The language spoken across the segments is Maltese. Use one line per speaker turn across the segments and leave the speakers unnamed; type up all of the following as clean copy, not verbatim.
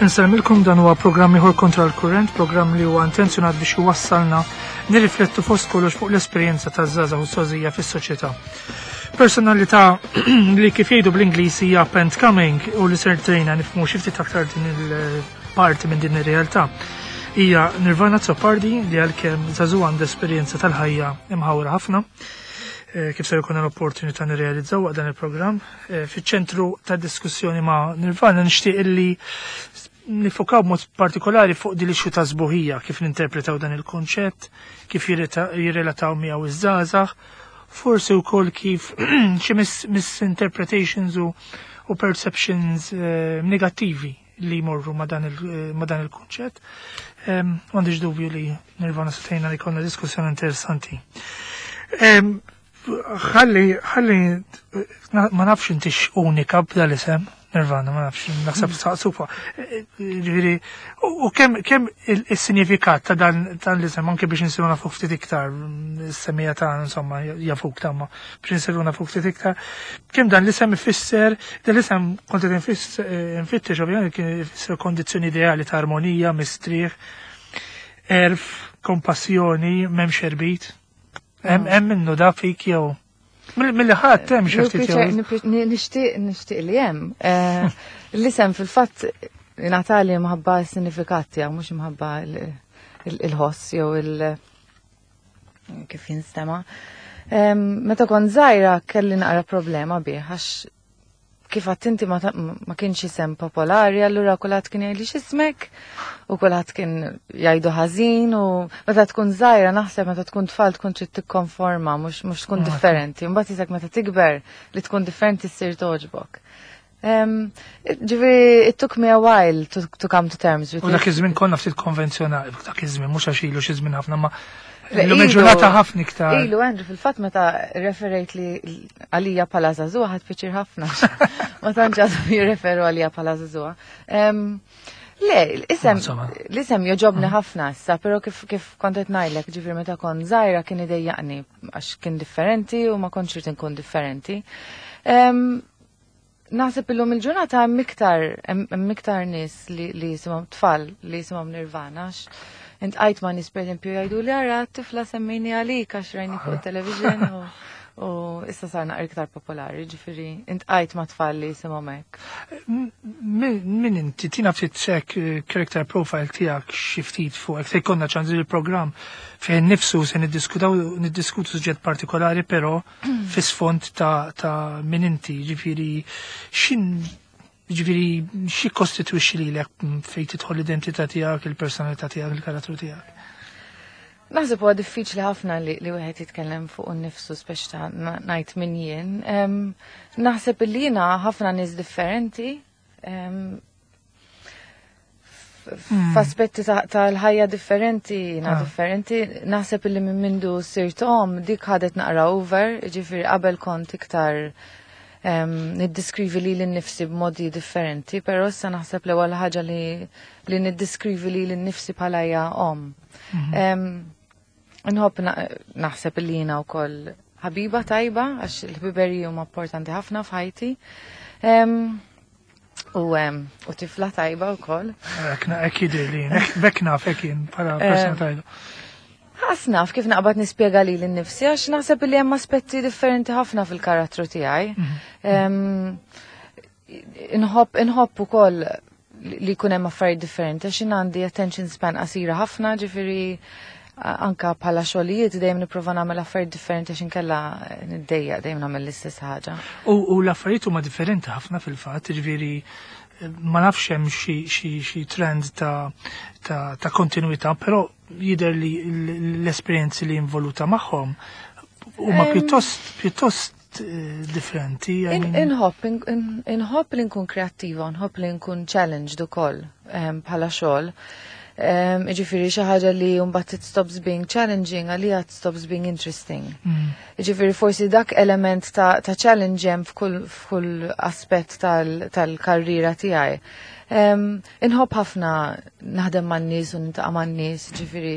Insellmilkom, dan huwa programm ieħor Kontra l-Kurrent, programm li huwa intenzjonat biex iwassalna nirriflettu fost kollox fuq l-esperjenza taż-żgħażagħ u s-sożija fis-soċjetà. Personalità li kif jgħidu bl-Ingliż hija up and coming u li ser tgħinna nifhmu xi ftit aktar din il-parti minn din ir-realtà. Hija Nirvana Azzopardi li għalkemm żagħżugħa għandha esperjenza tal-ħajja imħawra ħafna kif ser ikun l-opportunità nirrealizzaw waqt dan il-programm. Fiċ-ċentru ta' diskussjoni ma' Nirvana nixtieq illi nifokaw b'mod partikolari fuq din l-issue ta' sbuħija, kif ninterpretaw dan il-konċett, kif jirrelataw miegħu iż-żgħażagħ, forsi wkoll kif xi misinterpretations u perceptions negattivi li jmorru ma' dan il-kunċett. M'għandix dubju li Nirvana se tgħinna li jkollna diskussjoni interessanti. Ħalli, ħalli, ma nafx intix unika b'dal isem, Nirvana, ma nafx, naħseb saqsufa. Ġifieri, u kemm il-sinifikat ta' dan l-isem, anke biex nsiru nafu ftit iktar, is-semija ta' insomma, jafuk ta' ma, biex nsiru nafu ftit iktar, kemm dan l-isem ifisser, dan l-isem kont qed nfittex ovvjament kien ifisser kondizzjoni ideali ta' armonija, mistrieħ, erf, kompassjoni, m'hemmx erbit. Hemm minnu da fik jew mill-li ħadd hemm xi ftit jew.
Nixtieq li hemm. L-isem fil-fatt ngħatali mħabba s-sinifikat tiegħu, mhux imħabba il-ħoss jew il- kif jinstema. Meta kont żgħira kelli naqra problema bih għax kif għattinti ma kienx isem popolari, allura kulħadd kien jgħidli x'ismek u kulħadd kien jgħidu ħażin u meta tkun żgħira naħseb meta tkun tfal tkun trid tikkonforma mhux tkun differenti. Mbagħad isek meta tikber li tkun differenti ssir togħġbok. Ġifieri it took me a while to come to terms with
U dak
it.
iż-żmien konna ftit konvenzjonali, dak iż-żmien mhux għax ilu xi żmien ħafna ma
Le,
Illum
ilu-
il-ġurnata ħafna iktar.
Ilu, Andrew, fil-fatt meta referejt li għalija bħala żagħżugħa ħadt pjaċir ħafna. Ma tantx għadhom jirreferu għalija bħala żagħżugħa. Le,
Insomma.
l-isem joġobni ħafna issa, però kif kont qed ngħidlek, ġifieri meta kont żgħira kien idejjaqni għax kien differenti u ma kontx irid inkun differenti. Naħseb illum il-ġurnata hemm iktar nies li jisimhom tfal li jisimhom Nirvana. Iltqajt ma' nies pereżempju jgħidu li ara tifla semmini għalik għax rajni fuq television u issa sar naqra iktar popolari, ġifieri iltqajt ma' tfal li jisimhom hekk.
Min inti tina ftit sek character profile tiegħek xi ftit fuq hekk se jkollna ċans il-programm fejn nifsu se niddiskutu suġġett partikolari, però fis-sfond ta' min inti, ġifieri xin ġifieri xi kostitwixxi lilek fejn tidħol l-identità tiegħek, il-personalità tiegħek, il-karattru tiegħek?
Naħseb huwa diffiċli ħafna li wieħed jitkellem fuq innifsu speċi ta' ngħid min jien. Naħseb li jiena ħafna nies differenti. F'aspetti tal-ħajja differenti, jiena differenti. Naħseb li minn mindu sirt om dik ħadet naqra over, ġifieri qabel kont iktar niddiskrivi li l-nifsi b'modi differenti, però issa naħseb l-ewwel ħaġa li niddiskrivi li l-nifsi bħala hija om. Nħobb naħseb li jiena wkoll ħabiba tajba, għax il-ħbiberiji huma importanti ħafna f'ħajti. U tifla tajba wkoll.
Hekk jidher li jien, hekk naf hekk jien bħala persuna tajba.
Ħas naf kif naqbad nispjega li l-nifsi, għax naħseb li hemm aspetti differenti ħafna fil-karattru tiegħi. Inħobb ukoll li jkun hemm affarijiet differenti, għax jien għandi attention span qasira ħafna, ġifieri anka bħala xogħlijiet dejjem nipprova nagħmel affarijiet differenti għax inkella niddejjaq dejjem nagħmel l-istess ħaġa.
U l-affarijiet huma differenti ħafna fil-fatt, ġifieri ma nafx hemm xi trend ta' kontinuità, però jidher li l-esperjenzi li involuta magħhom huma pjuttost differenti, I mean.
Inħobb li nkun kreattiva, nħobb li nkun challenged ukoll bħala xogħol. Ġifieri xi ħaġa li mbagħad it stops being challenging għalija it stops being interesting. Ġifieri forsi dak element ta' challenge hemm f'kull aspett tal-karriera tiegħi. Inħobb ħafna naħdem man-nies u nintaqa' man-nies, ġifieri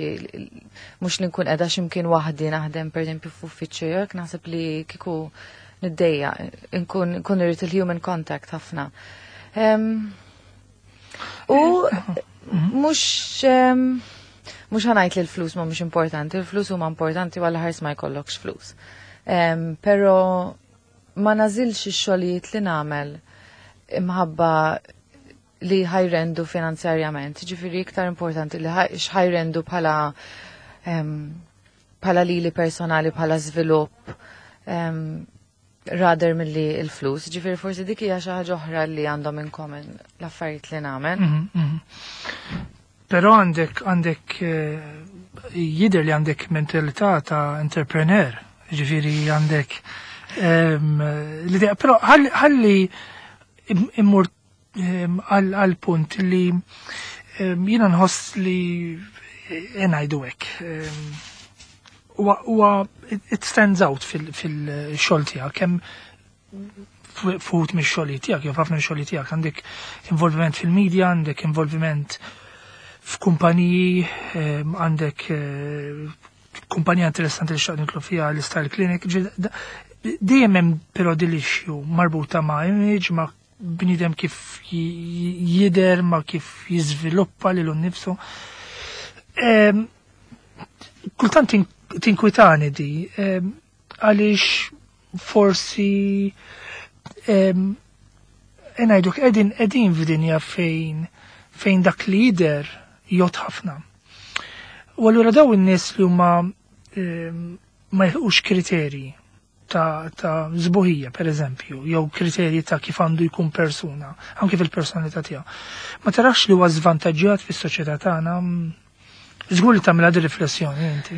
mhux li nkun qiegħda x'imkien waħdi naħdem pereżempju f'uffiċċju, jekk naħseb li kieku niddejja, nkun irrid il-human contact ħafna. U mhux mhux ħa ngħid li l-flus ma mhux importanti, il-flus huma importanti għal ħars ma jkollokx flus. Però ma nagħżilx ix-xogħlijiet li nagħmel imħabba li ħa jrendu finanzjarjament, ġifieri iktar importanti li x'ħa jrendu bħala lili personali, bħala żvilupp, rather milli il-flus. Ġifieri forsi dik hija xi ħaġa oħra li għandhom in common l-affarijiet li nagħmel.
Però għandek jidher li għandek mentalità ta' entrepreneur, ġifieri għandek l-idea, però ħalli immur għal punt li jiena nħoss li ngħidu hekk. Huwa it stands out fil-xogħol tiegħek kemm fuq mix-xogħol tiegħek jew ħafna xogħol tiegħek għandek involviment fil-media, għandek involviment f'kumpaniji, għandek kumpanija interessanti li xtaqt nidħlu fiha, l-Style Clinic. Dejjem hemm però din l-issue marbuta ma' image, ma' bniedem kif jider, ma' kif jiżviluppa lilu nnifsu. Kultant tinkwitani di, għaliex forsi ngħiduk qegħdin f'dinja fejn dak li jider jgħodd ħafna. U allura daw in-nies li huma ma jilħqux kriterji ta' sbuħija, per eżempju, jew kriterji ta' kif għandu jkun persuna, anke fil-personalità tiegħu. Ma tarax li huwa żvantaġġjat fis-soċjetà tagħna? Żgur li tagħmilha di riflessjoni inti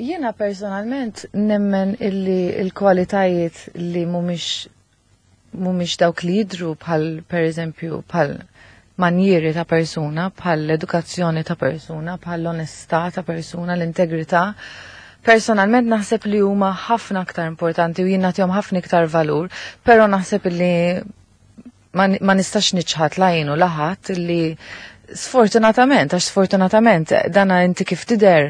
Jiena personalment nemmen illi il-kwalitajiet li mhumiex dawk li jidru, bħal per eżempju bħal manjieri ta' persuna, bħal l-edukazzjoni ta' persuna, bħal l-onestà ta' persuna, l-integrità. Personalment naħseb li huma ħafna aktar importanti u jien nagħtihom ħafna iktar valur, però naħseb li ma nistax niċħad la jien u la ħadd li sfortunatament, għax sfortunatament dana inti kif tidher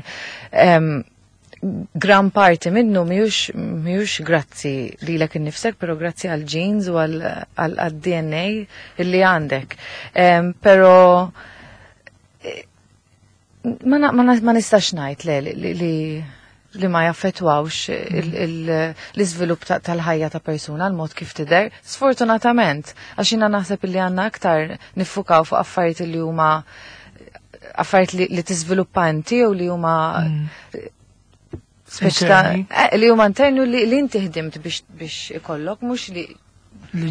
gran parti minnu mhijiex grazzi lilek innifsek, pero grazzi għal genes u għal DNA illi għandek. Pero ma nistax ngħid le li ma jaffetwawx l-iżvilupp tal-ħajja ta' persuna, l-mod kif tidher. Sfortunatament, għax jiena naħseb li għandna aktar niffukaw fuq affarijiet li huma affarijiet li tiżviluppa inti u li huma speċi ta'
Interni.
Li huma interni u li inti ħdimt biex ikollok, mhux li
li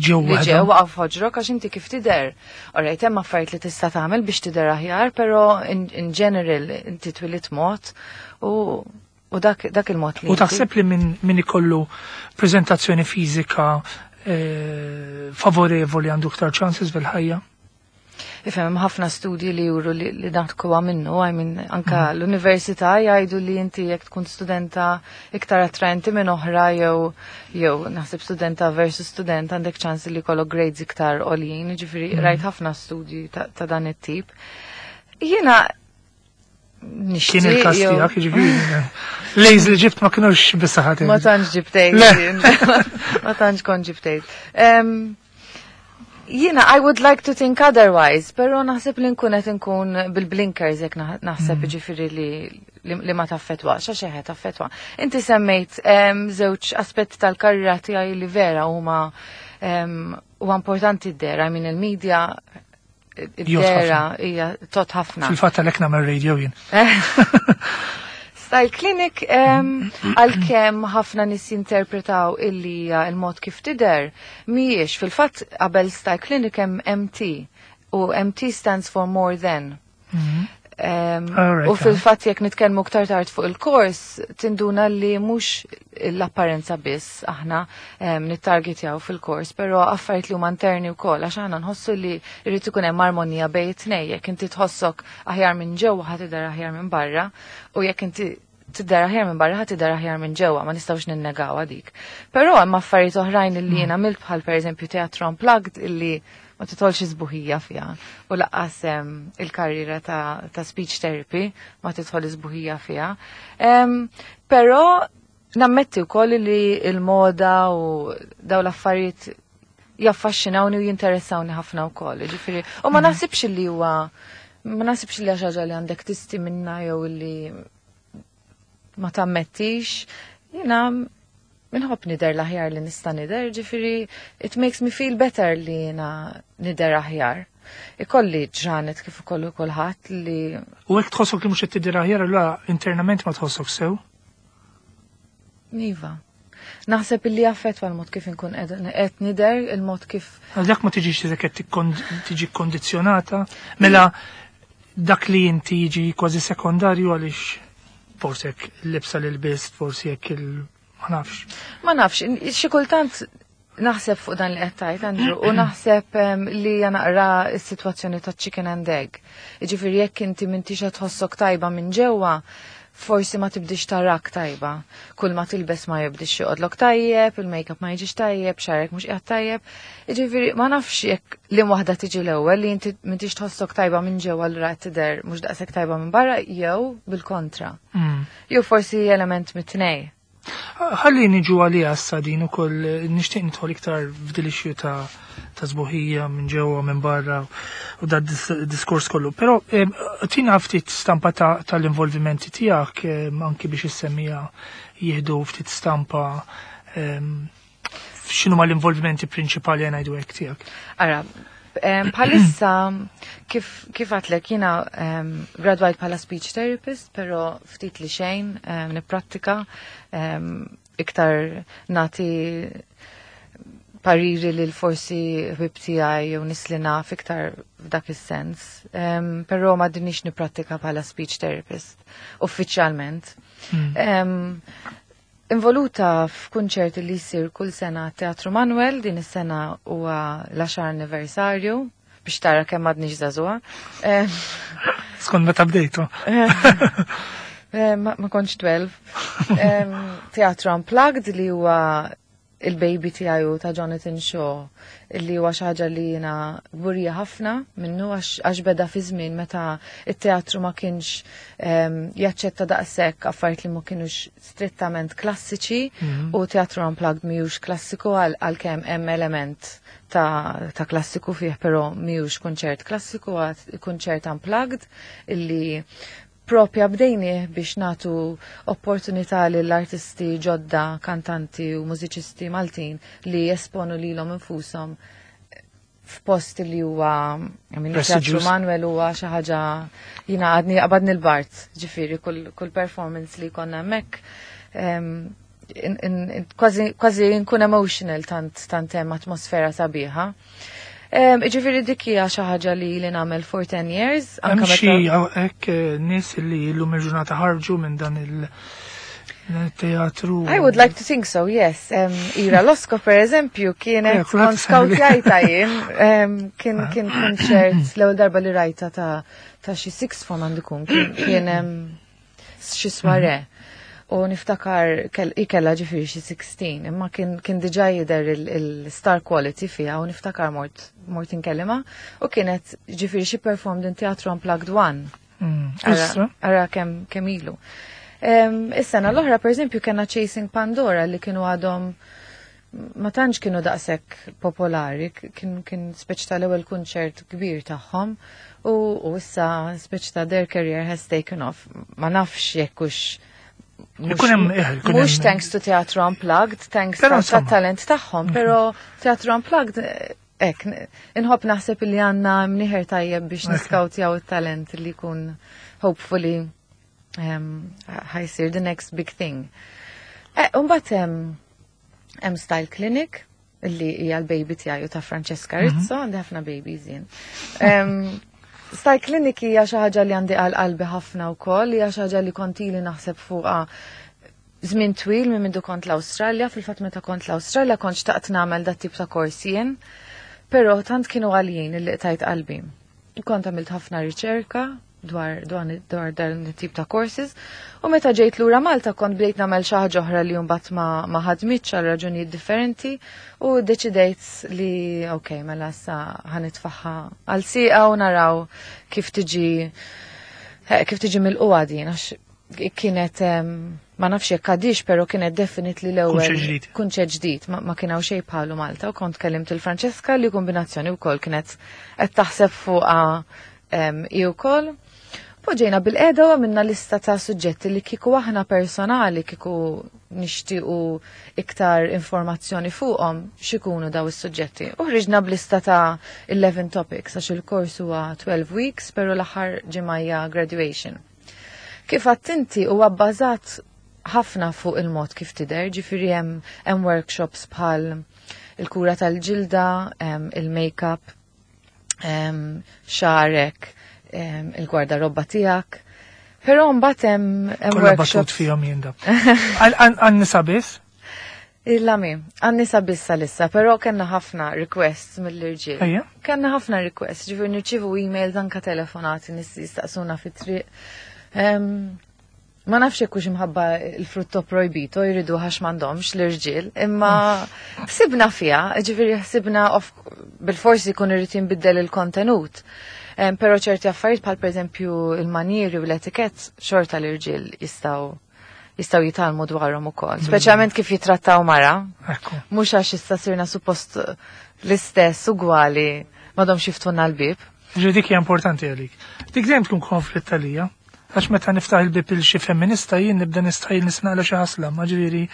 ġew
li ġew
waħedhom.
waqgħu f'ħoġrok, għax inti kif tidher. Alright, hemm affarijiet li tista' tagħmel biex tidher aħjar, però in general inti twilit mod u dak il-mod li
U
inti.
taħseb li min ikollu preżentazzjoni fiżika favorevoli għandu iktar chances fil-ħajja?
Ifhem, hemm ħafna studji li juru li dak huwa minnu, I mean, anka l-università jgħidu li inti jekk tkun studenta iktar attraenti minn oħra jew naħseb studenta versus student għandek ċans li jkollok grades iktar għoljin, ġifieri rajt ħafna studji ta' dan it-tip. Jiena nixtieq
Kien il-każ tiegħek, ġifieri. Lejz li ġibt ma kinux bis-saħħa.
Ma tantx ġibtejt.
Le.
Ma tantx kont ġibtejt. Jiena, I would like to think otherwise, pero naħseb li nkun qed nkun bil-blinkers jekk naħseb ġifieri li ma taffetwax, għax eħe taffetwa. Inti semmejt żewġ aspetti tal-karriera tiegħi li vera huma huwa importanti d-dehra, I mean il-media
Jgħod
id-dehra
ħafna.
hija tgħodd ħafna.
Fil-fatt għalhekk nagħmel radio jien.
Style Clinic, għalkemm ħafna nies jinterpretaw illi hija il-mod kif tidher, mhijiex. Fil-fatt qabel Style Clinic hemm MT u MT stands for more than. U fil-fatt jekk nitkellmu aktar tard fuq il-kors, tinduna li mhux l-apparenza biss aħna nittargetjaw fil-kors, però affarijiet li huma interni wkoll, għax aħna nħossu li jrid ikun hemm armonija bejn it-tnejn, jekk inti tħossok aħjar minn ġewwa ħa tidher aħjar minn barra, u jekk inti tidher aħjar minn barra ħa tidher aħjar minn ġewwa, ma nistgħux ninnegawha dik. Però hemm affarijiet oħrajn li jien għamilt bħal pereżempju Teatro Unplugged illi ma titolx isbuħija fiha u lanqas il-karriera ta' speech therapy ma titħol isbuħija fiha. Però nammetti wkoll li il-moda u daw l-affarijiet Jaffaxxinawni u jinteressawni ħafna wkoll. Ġifieri, u ma naħsibx li huwa ma naħsibx li ħaġa li għandek tisti minna jew li ma tammettix. Jiena minħobb nidher l-aħjar li nista' nidher, ġifieri it makes me feel better li jiena nidher aħjar. Ikolli ġranet kif ukoll kulħadd li
U hekk tħossok li mhux qed tidher aħjar allura internament ma tħossok sew?
Iva. Naħseb illi jaffettwa l-mod kif inkun qed nidher, il-mod kif
Għal dak ma tiġix li qed tiġi kkondizzjonata, mela dak li inti jiġi kważi sekondarju għaliex forsi jekk il-libsa li lbist, forsi jekk il ma nafx.
Ma nafx, xi kultant naħseb fuq dan li qed tgħid Andrew u naħseb li naqra s-sitwazzjoni ta' chicken and egg. Jiġifieri jekk inti m'intix qed tħossok tajba minn ġewwa, forsi ma tibdix tarak tajba. Kull ma tilbes ma jibdix joqgħodlok tajjeb, il-makeup ma jiġix tajjeb, xagħrek mhux qiegħed tajjeb. Jiġifieri ma nafx jekk li waħda tiġi l-ewwel li inti m'intix tħossok tajba minn ġewwa allura qed tidher mhux daqshekk tajba minn barra jew bil-kontra. Jew forsi element mit-tnej.
Ħalli niġu għalija issa din ukoll nixtieq nidħol iktar f'dil issue ta' sbuħija minn ġewwa minn barra u da diskors kollu. Però tina ftit stampa tal-involvimenti tiegħek anki biex issemmija jieħdu ftit stampa x'inhu ma l-involvimenti prinċipali ngħidu hekk tiegħek.
Ara, bħalissa kif għedtlek jiena gradwajt bħala speech therapist, pero ftit li xejn nipprattika iktar nati pariri li l-forsi ħbieb tiegħi jew nies li naf iktar f'dak is-sens. Però ma dinix nipprattika bħala speech therapist uffiċjalment. Involuta f'kunċert li jsir kull sena Teatru Manuel, din is-sena huwa l-10 anniversarju biex tara kemm għadni żagħżugħa.
Skont meta bdejtu.
Ma kontx 12. Teatru Unplugged li huwa il-baby tiegħi u ta' Jonathan Shaw li huwa xi ħaġa li jiena kburija ħafna minnu għax beda fi żmien meta it-teatru ma kienx jaċċetta daqshekk affarijiet li ma kienux strettament klassiċi u Teatru Unplugged mhijiex klassiku għalkemm hemm element ta' klassiku fih, però mhijiex kunċert klassiku, għad kunċert unplugged illi propja bdejni biex natu opportunità lill-artisti ġodda, kantanti u mużiċisti Maltin li jesponu lilhom infushom f'post li huwa, I mean, Teatru
Prestigious.
Manuel huwa xi ħaġa jiena għadni qabadni l-bard, ġifieri kull performance li konna hemmhekk kważi nkun emotional tant hemm atmosfera sabiħa. Ġifieri dik hija xi ħaġa li nagħmel for 10 years.
Hemm
anke
xi
meta
hekk nies li llum il-ġurnata ħarġu minn dan il-teatru.
I would like to think so, yes. Ira Losco, per eżempju, kienet
kulħadd
kont
semmi li.
skautjajta jien. Kien konċert l-ewwel darba li rajta ta' xi sixth form għandu jkun, kien xi soirée. U niftakar ikella ġifieri xi 16, imma kien diġà jidher il-star quality fiha u niftakar mort inkellima u kienet ġifieri xi performed in Teatru Unplugged 1.
Issa?
Ara kemm ilu. Is-sena l-oħra, per eżempju, kena Chasing Pandora li kienu għadhom ma tantx kienu daqshekk popolari, kien speċi tal-ewwel kunċert kbir tagħhom u issa speċi ta' their career has taken off. Ma nafx jekk hux
Ikun hemm, ikun
mhux
hemm
thanks to Teatru Unplugged, thanks
Però
ta'
insomma.
talent tagħhom, però Teatru Unplugged, hekk, inħobb naħseb li għandna mniħer tajjeb biex niskautjaw it-talent li jkun hopefully ħa jsir the next big thing. Umbagħad hemm Style Clinic li hija l-baby tiegħi u ta' Francesca Rizzo, għandi ħafna babies jien. Style Clinic hija xi ħaġa li għandi għal qalbi ħafna wkoll, hija xi ħaġa li kont ili naħseb fuqha żmien twil minn mindu kont l-Awstralja, fil-fatt meta kont l-Awstralja kont xtaqt nagħmel dat tip ta' kors jien, però tant kienu għalijin li qtajt qalbi. Kont għamilt ħafna riċerka dwar dan it-tip ta' courses u meta ġejt lura Malta kont bdejt nagħmel xi ħaġa oħra li mbagħad ma ħadmitx għal raġunijiet differenti u deċidejt li ok, mela issa ħa nitfagħha għal sieqa u naraw kif tiġi milquha din għax Kienet ma nafx jekk għadix, pero kienet definitely l-ewwel kunċett ġdid, ma kien hawn xejn bħalu Malta u kont kellimt il-Franċeska li kombinazzjoni wkoll kienet qed taħseb fuqha hi wkoll. Poġġejna bil-qeda u għamilna lista ta' suġġetti li kieku aħna personali kieku nixtiequ iktar informazzjoni fuqhom x'ikunu daw is-suġġetti. U ħriġna b'lista ta' 11 topics għax il-kors huwa 12 weeks, pero l-aħħar ġimgħa graduation. Kif għedt inti huwa bbażat ħafna fuq il-mod kif tidher, ġifieri hemm workshops bħal il-kura tal-ġilda, il-make-up, xagħrek, il-gwardarobba tiegħek. Però mbagħad hemm
workshops fihom jien da. Għan-nisa biss?
Il-lami, għan-nisa biss s'issa, però kellna ħafna requests mill-irġiel. Kellna ħafna requests, ġifieri nirċievu emails anka telefonati nies jistaqsuna fit-triq. Ma nafx jekk hux imħabba il-frutto projbito jridu għax m'għandhomx l-irġiel, imma ħsibna fiha, ġifieri ħsibna bil-forsi jkun irid jinbiddel il-kontenut. Pero ċerti affarijiet bħal pereżempju il-manieri u l-etikett xorta l-irġiel jistgħu jitgħallmu dwarhom ukoll. Speċjalment kif jitrattaw mara. Mhux għax issa sirna suppost l-istess ugwali m'għadhomx jiftħulna l-bib.
Ġifieri dik hija importanti għalik. Dik dejjem tkun konflitt għalija. Għax meta niftaħ il-bib il xi femminista jien nibda nistħajjel nisnaqla xi ħasla, ma ġifieri.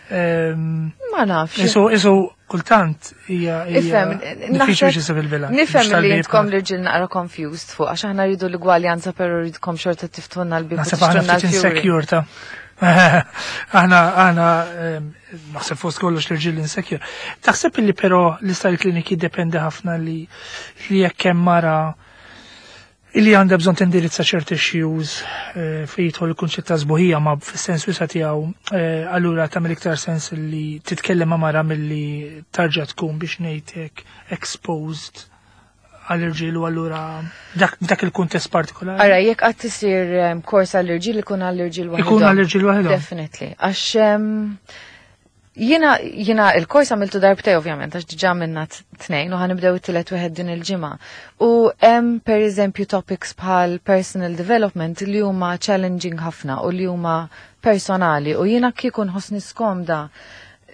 Ma nafx.
Isu kultant hija
Ifhem,
diffiċli biex isib il-bilanċ.
Nifhem li intkom l-irġiel naqra confused fuq għax aħna rridu l-igwaljanza però rridkom xorta tiftħulna l-bib.
Naħseb aħna ftit insecure ta' Aħna naħseb fost kollox l-irġiel insecure. Taħseb li però l-Style Clinic jiddependi ħafna li jekk hemm mara illi għandha bżonn tindirizza ċerti issues fejn jidħol il-kunċett ta' sbuħija ma fis-sens wiesa' tiegħu, allura tagħmel iktar sens li titkellem ma' mara milli tarġa' tkun biex ngħidlek exposed għall-irġiel u allura dak il-kuntest partikolari.
Ara, jekk qatt isir kors għall-irġiel ikun għall-irġiel waħedhom.
Ikun għall-irġiel waħedhom.
Definitely. Għax jiena il-kors għamiltu darbtejn ovvjament, għax diġà minna tnejn u ħa nibdew it-tielet wieħed din il-ġimgħa. U hemm per eżempju topics bħal personal development li huma challenging ħafna u li huma personali u jiena kieku nħossni skomda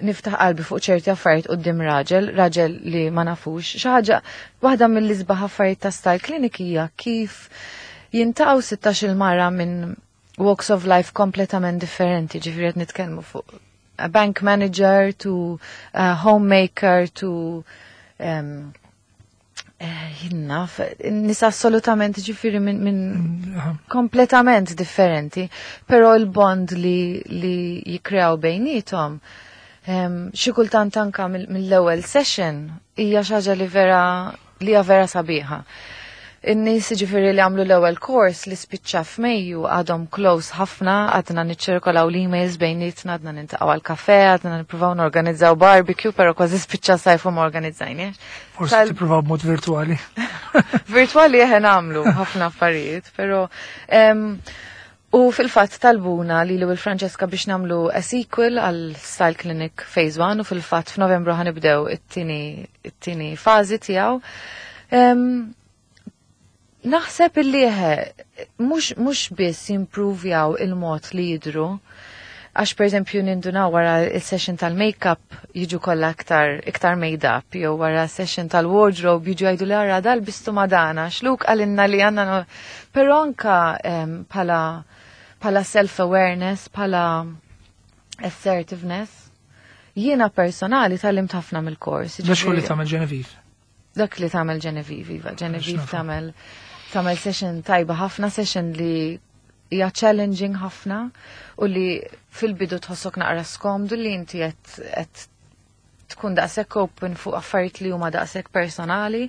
niftaħ qalbi fuq ċerti affarijiet quddiem raġel, raġel li ma nafux. Xi ħaġa waħda mill-isbaħ affarijiet ta' Style Clinic hija kif jiltaqgħu 16 il-mara minn walks of life kompletament differenti, ġifieri qed nitkellmu fuq a bank manager to a homemaker to jinnaf, nies assolutament ġifieri minn kompletament differenti, pero il-bond li jikreaw bejnietom, xi kultant anka mill-ewwel session hija xi ħaġa li hija vera sabiħa. In-nies ġifieri li għamlu l-ewwel course li spiċċa f'Mejju għadhom close ħafna, għadna niċċirkolaw l-emails bejnietna, għadna niltaqgħu għal kafe, għadna nippruvaw norganizzaw barbecue, però kważi spiċċa sajfu ma organizzajniex.
Forsi tippruvaw b'mod virtuali.
Virtuali eħe nagħmlu ħafna affarijiet, però u fil-fatt talbuna li l-Franceska biex nagħmlu a sequel għal Style Clinic Phase 1 u fil-fatt f'Novembru ħa nibdew it-tieni fażi tiegħu. Naħseb illi eħe, mhux biss jimprovjaw il-mod li jidru, għax per eżempju nindunaw wara il-session tal-make-up jiġu kollha iktar made-up, jew wara session tal-wardrobe jiġu jgħidu li ara dal bistu madana, xluk għalinna li għandna però anka pala self-awareness, pala assertiveness. Jiena personali tgħallimt ħafna mill-kors.
Dak li tagħmel Genevieve.
Dak li tagħmel Genevieve, iva. Genevieve
X'nafu.
tagħmel session tajba ħafna, session li hija challenging ħafna u li fil-bidu tħossok naqra skomdu li inti qed tkun daqshekk open fuq affarijiet li huma daqshekk personali,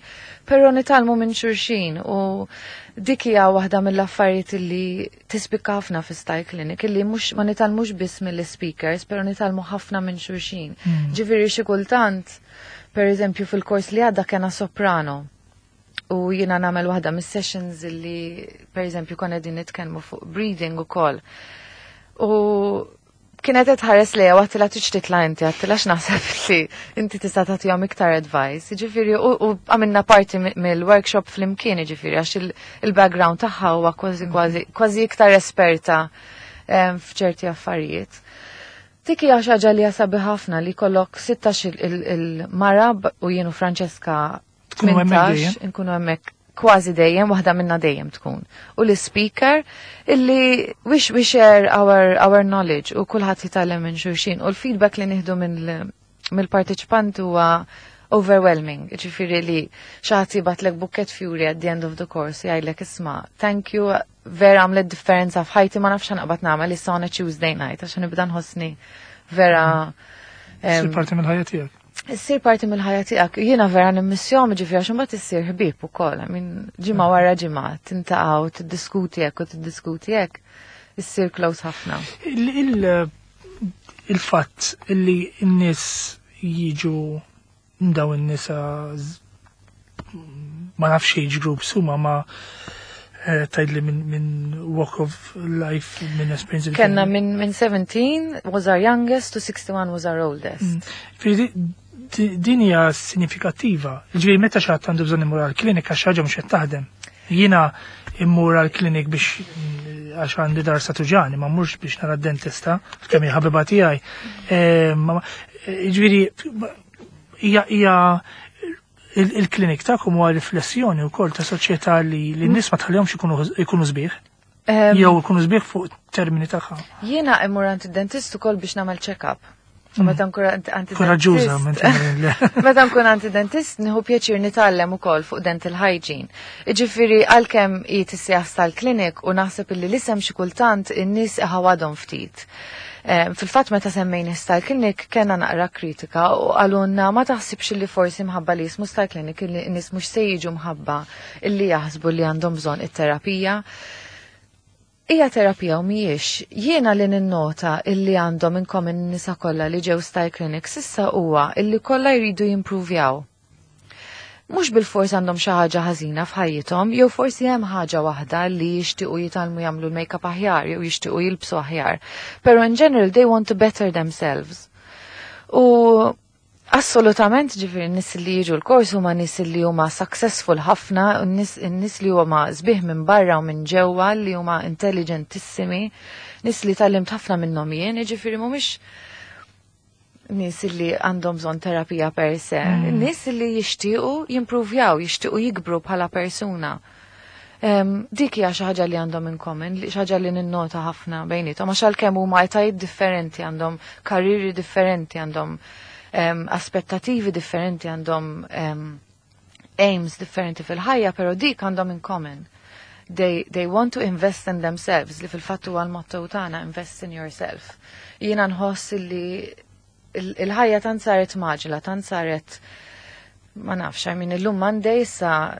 però nitgħallmu minn xulxin u dik hija waħda mill-affarijiet li tispikka ħafna fi Style Clinic, illi mhux ma nitgħallmux biss mill-speakers, però nitgħallmu ħafna minn xulxin. Ġifieri xi kultant, per eżempju fil-kors li għadda kena soprano, u jiena nagħmel waħda mis-sessions li per eżempju konna qegħdin nitkellmu fuq breathing ukoll. U kienet qed tħares lejha u għedtilha tridx titla' inti, għedtilha x'naħseb li inti tista' tagħtihom iktar advice. Ġifieri u għamilna parti mill-workshop flimkien, ġifieri għax il-background tagħha huwa kważi kważi kważi iktar esperta f'ċerti affarijiet. Dik hija xi ħaġa li hija sabiħ ħafna li jkollok 16 il-mara u jien u Francesca
Tkunu hemmhekk
18
dejjem?
nkunu hemmhekk kważi dejjem, waħda minna dejjem tkun. U l-speaker illi we share our knowledge u kulħadd jitgħallem minn xulxin u l-feedback li nieħdu mill-parteċipanti huwa overwhelming. Ġifieri li xi ħadd jibgħatlek bucket fjuri at the end of the course jgħidlek isma' thank you, vera għamlet differenza f'ħajti, ma nafx naqbad nagħmel issa on a Tuesday night għax nibda nħossni vera,
Issir parti mill-ħajja tiegħek.
Issir parti mill-ħajja tiegħek. Jiena vera nimmissjahom, ġifieri għax imbagħad issir ħbieb ukoll. I mean, ġimgħa wara ġimgħa tintaqgħu, tiddiskuti hekk u tiddiskuti hekk, issir close ħafna.
Il-fatt li n-nies jiġu daw in-nisa ma nafx age groups huma ma tgħidli minn walk of life, minn experience li
Kenna
kellna.
minn 17 was our youngest to 61 was our oldest.
Ġifieri din hija sinifikattiva. Ġifieri meta xi ħadd għandu bżonn imur għall-klinika xi ħaġa mhux qed taħdem. Jiena immur għall-klinik biex għax għandi dar satuġani, ma mmurx biex nara d-dentista, kemm hija ħabiba tiegħi. Ġifieri hija il-klinik tagħkom huwa riflessjoni wkoll ta' soċjetà li n-nies ma tħallihomx ikunu sbieħ. Jew ikunu sbieħ fuq termini tagħha.
Jiena immur għand id-dentist ukoll biex nagħmel check-up. U meta nkun għand
Koraġġuża,
id-dentist.
meta nkun le.
Meta nkun għand id-dentist nieħu pjaċir nitgħallem ukoll fuq dental hygiene. Jiġifieri għalkemm hi tissejjaħ Style Clinic u naħseb illi l-isem xi kultant in-nies iħawadhom ftit. Fil-fatt meta semmejna Style Clinic kellna naqra kritika u qalulna ma taħsibx li forsi mħabba li jismu Style Clinic illi n-nies mhux se jiġu mħabba illi jaħsbu li għandhom bżonn it-terapija. Hija terapija u mhijiex. Jiena li ninnota illi għandhom in common nisa kollha li ġew Style Clinic s'issa huwa illi kollha jridu jimprovjaw. Mhux bil-fors għandhom xi ħaġa ħażina f'ħajjithom, jew forsi hemm ħaġa waħda li jixtiequ jitgħallmu jagħmlu l-make-up aħjar jew jixtiequ jilbsu aħjar. Però in general they want to better themselves. U assolutament ġifieri n-nies li jiġu l-kors huma nies li huma successful ħafna, u n-nies li huma sbieħ minn barra u minn ġewwa, li huma intelligentissimi, nies li tgħallimt ħafna minnhom jien, jiġifieri mhumiex nies li għandhom bżonn terapija per se, nies li jixtiequ jimprovjaw, jixtiequ jikbru bħala persuna. Dik hija xi ħaġa li għandhom in common, xi ħaġa li ninnota ħafna bejniethom, għax għalkemm huma etajiet differenti, għandhom karriri differenti, għandhom aspettativi differenti, għandhom aims differenti fil-ħajja, pero dik għandhom in common. They want to invest in themselves, li fil-fatt huwa l-motto tagħna, invest in yourself. Jiena nħoss li il-ħajja tant saret maġla, tant saret, ma nafx, I mean, illum Monday issa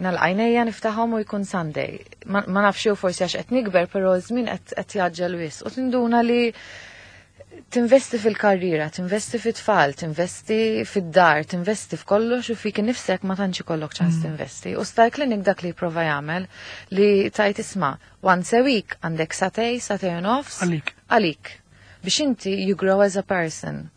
nal-għajnejja niftaħhom u jkun Sunday. Ma nafx jew forsi għax qed nikber, però żmien qed jaġġel wisq. U tinduna li tinvesti fil-karriera, tinvesti fit-tfal, tinvesti fid-dar, tinvesti f'kollox u fik nifsek ma tantx ikollok ċans tinvesti. U Style Clinic dak li jipprova jagħmel li tajt isma' once a week għandek satej, satej u nofs.
Għalik.
Għalik. Biex inti you grow as a person.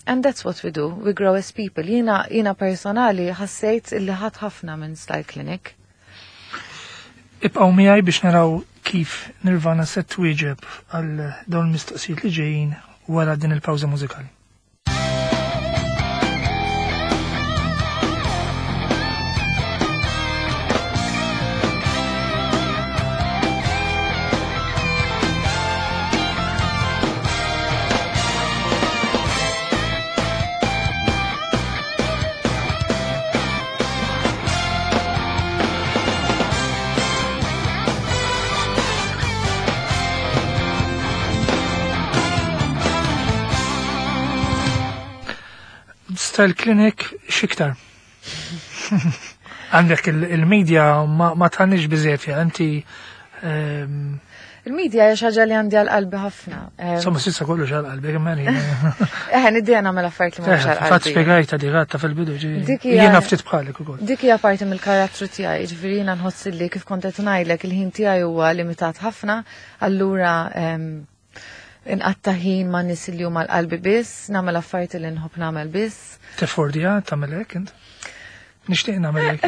And that's what we do, we grow as people. Jiena personali ħassejt li ħadt ħafna minn Style Clinic.
Ibqgħu miegħi biex naraw kif Nirvana se twieġeb għal dawn il-mistoqsijiet li ġejjin wara din il-pawża mużikali. Style Clinic xiktar. Għandek il-media ma tħannix biżejjed fiha, inti,
Il-media hija xi ħaġa li għandi għal qalbi ħafna.
Insomma, s'issa kollox għal qalbi, kemm għalina.
Niddi nagħmel affarijiet li mhux għal
Fatt
qalbi.
spjegajta di għatta fil-bidu, ġifieri.
Dik hija
Jiena ftit bħalek ukoll.
Dik hija parti mill-karattru tiegħi, ġifieri jiena nħoss li kif kont qed ngħidlek il-ħin tiegħi huwa limitat ħafna, allura inqatta' ħin ma' nies li huma l-qalbi biss, nagħmel affarijiet li nħobb nagħmel biss.
Teffordija tagħmel hekk int? Nixtieq nagħmel hekk.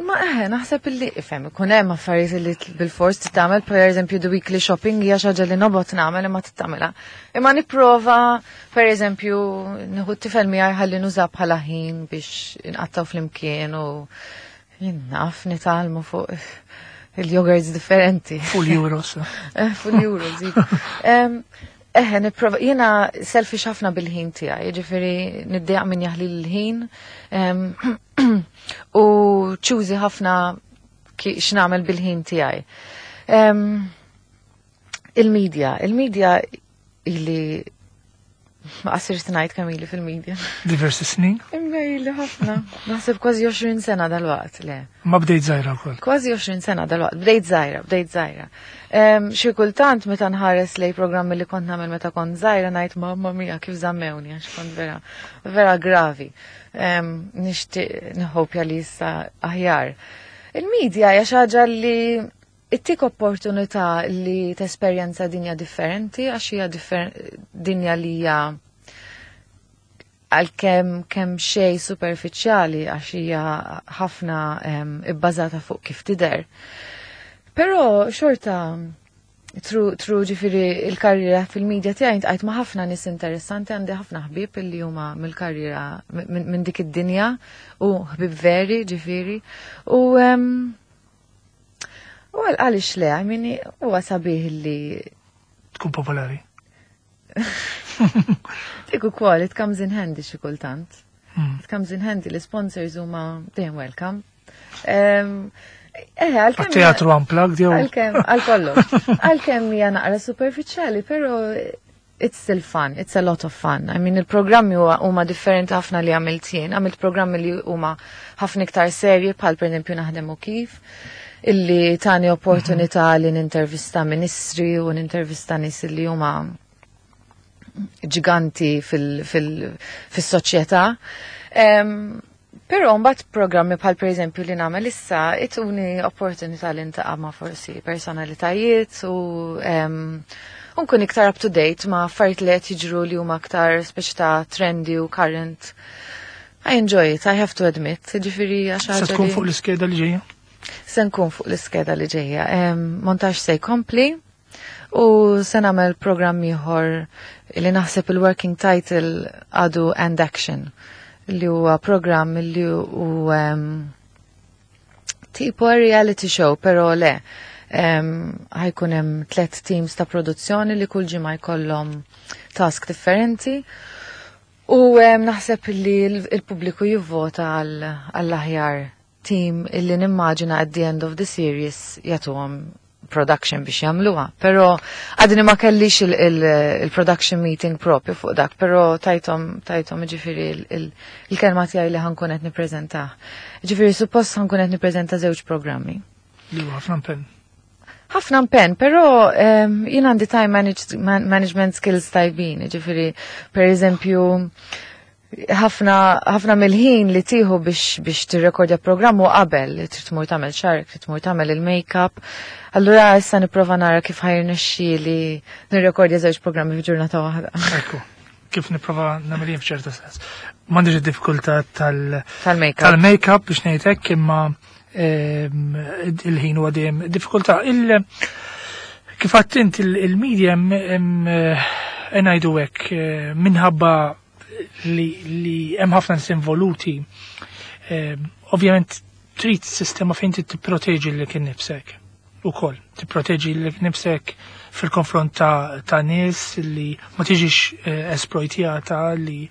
Ma eħe, naħseb illi, ifhem, ikun hemm affarijiet li bil-fors titgħamel, per eżempju the weekly shopping hija xi ħaġa li nobgħod nagħmel imma titgħamilha. Imma nipprova, per eżempju, nieħu t-tifel miegħi ħalli nuża bħala ħin biex inqattgħu flimkien u jien naf nitgħallmu fuq il-yogurts differenti.
Fuq l-euros.
Fuq l-euros. Eħe, nipprova, jiena selfish ħafna bil-ħin tiegħi, jiġifieri niddejjaq min jaħli l-ħin u choosy ħafna x'nagħmel bil-ħin tiegħi. Il-media, illi ma qasirx ngħid kemm ili fil-media.
Diversi snin?
Imma ili ħafna. Naħseb kważi 20 sena dal-waqt, le.
Ma bdejt żgħira wkoll.
Kważi 20 sena dal-waqt, bdejt żgħira, bdejt żgħira. Xi kultant meta nħares lej programmi li kont nagħmel meta kont żgħira ngħid mamma mia kif żammewni għax kont vera, vera gravi. Nixtieq nħopja li issa aħjar. Il-media hija xi ħaġa li ittik opportunità li tesperjenza dinja differenti, għax hija dinja li hija għalkemm kemm xej superfiċjali, għax hija ħafna ibbażata fuq kif tidher. Però xorta through ġifieri il-karriera fil-medja tiegħi intqajt ma' ħafna nies interessanti, għandi ħafna ħbieb illi huma mill-karriera minn dik id-dinja u ħbieb veri ġifieri. U għaliex le, I mean, huwa sabiħ li
tkun popolari.
Dik ukoll, it comes in handy xi kultant. It comes in handy, l-sponsors huma dejjem welcome. Għalkemm
Teatru unplugged jew
Għalkemm, għal kollox. Għalkemm hija naqra superfiċjali, però it's still fun, it's a lot of fun. I mean, il-programmi huma differenti ħafna li għamilt jien. Għamilt programmi li huma ħafna iktar serji, bħal per eżempju Naħdem u Kif, illi tani opportunità li nintervista ministri u nintervista nies li huma ġiganti fis-soċjetà. Però mbagħad programmi bħal per eżempju li nagħmel issa ituni opportunità li ntaqa' ma' forsi personalitajiet u nkun iktar up to date ma' affarijiet li qed jiġru li huma aktar speċi ta' trendy u current. I enjoy it, I have to admit. Ġifieri għax
Se
ħaġa
tkun
li
fuq l-iskeda li ġejja?
Se nkun fuq l-iskeda li ġejja. Montaġġ se jkompli u se nagħmel programm ieħor li naħseb il-working title għadu And Action, li huwa programm li hu tipo reality show, però le. Ħajkun hemm 3 teams ta' produzzjoni li kull ġimgħa jkollhom task differenti. U naħseb li il-pubbliku jivvota għall-aħjar team illi nimmaġina at the end of the series jagħtuhom production biex jagħmluha. Però għadni ma kellix il-production meeting propju fuq dak, però tajthom ġifieri il-kelma tiegħi li ħankun qed nippreżentah. Ġifieri suppost ħankun qed nippreżenta żewġ programmi.
Li huwa ħafna impenn.
Ħafna impenn, però jien għandi time management skills tajbin, ġifieri per eżempju ħafna mill-ħin li tieħu biex tirrekordja programm u qabel, trid tmur tagħmel xark, trid tmur tagħmel il-make-up. Allura issa nipprova nara kif ħajrnexxieli nirrekordja żewġ programmi f'ġurnata waħda.
Ekku, kif nipprova nagħmel jien f'ċerta sens. M'għandix id-diffikultà
Tal-make-up.
tal-make-up biex ngħid hekk, imma il-ħin huwa dejjem diffikultà. Kif għedt int il-media ngħidu hekk, minħabba li hemm ħafna nies involuti, ovvjament trid sistema fejn trid tipproteġi lilek innifsek ukoll, tipproteġi lilek innifsek fil-konfront ta' nies li ma tiġix esploitjata, li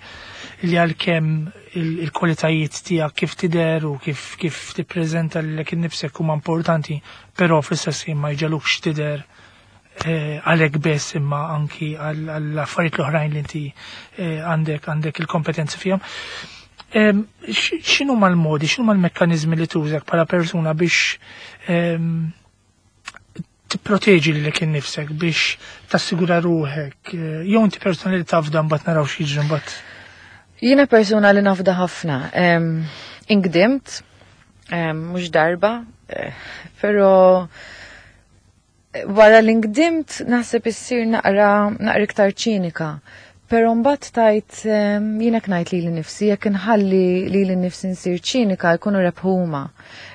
għalkemm il-kwalitajiet tiegħek kif tidher u kif tippreżenta lilek innifsek huma importanti, però fl-istess ħin ma jġegħlukx tidher għalhekk biss imma anki għall-affarijiet l-oħrajn li inti għandek il-kompetenzi fihom. X'inhu mal-modi, x'inhu mal-mekkaniżmi li tużak bħala persuna biex tipproteġi lilek innifsek, biex tassigura ruħek, jew inti persuna li tafda mbagħad naraw x'jiġri mbagħad?
Jiena persuna li nafda ħafna. Ingdimt, mhux darba, però wara li ngdimt naħseb issir naqra iktar ċinika. Pero mbagħad tajt jiena ngħid lili nnifsi, jekk inħalli lili nnifsi nsir ċinika jkunu rebħuma.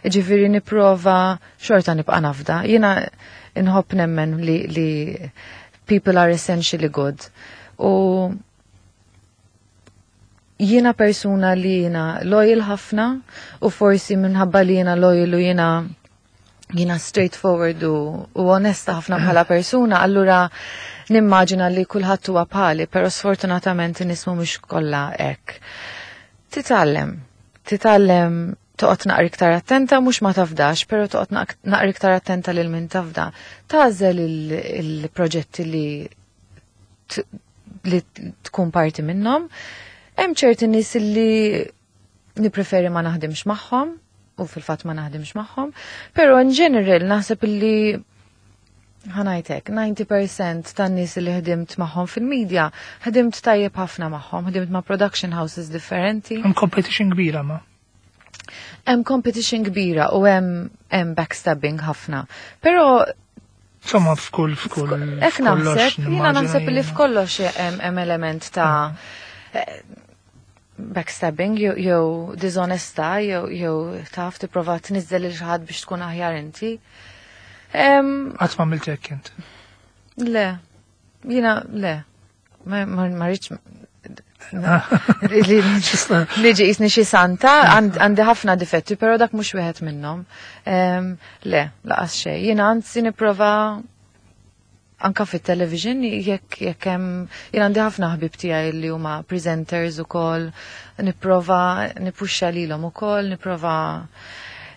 Ġifieri nipprova xorta nibqa' nafda. Jiena nħobb nemmen li people are essentially good. U jiena persuna li jiena loyal ħafna u forsi minħabba li jiena loyal u jiena straightforward u onesta ħafna bħala persuna, allura nimmaġina li kulħadd huwa bħali, però sfortunatament in-nies mhumiex kollha hekk. Titgħallem, titgħallem toqgħod naqra iktar attenta, mhux ma tafdax, però toqgħod naqra iktar attenta lil min tafda. Tagħżel il-proġetti li tkun parti minnhom. Hemm ċerti nies li nippreferi ma naħdimx magħhom, u fil-fatt ma naħdimx magħhom, però in general naħseb li ħa ngħidlek, 90% tan-nies li ħdimt magħhom fil-media, ħdimt tajjeb ħafna magħhom, ħdimt ma' production houses differenti.
Hemm competition kbira ma.
Hemm competition kbira u hemm backstabbing ħafna. Però
Insomma, f'kull
Ek naħseb, jiena naħseb li f'kollox hemm element ta' backstabbing jew disonesta jew taf tipprova tniżżel lil xi ħadd biex tkun aħjar inti.
Qatt ma għamilt hekk int?
Le, jiena le. Ma rridx niġi jisni xi santa, għandi ħafna difetti, però dak mhux wieħed minnhom. Le, lanqas xejn. Jiena anzi nipprova anka fit-television jekk hemm, jien għandi ħafna ħbib tiegħi li huma presenters ukoll, nipprova nippuxxa lilhom ukoll, nipprova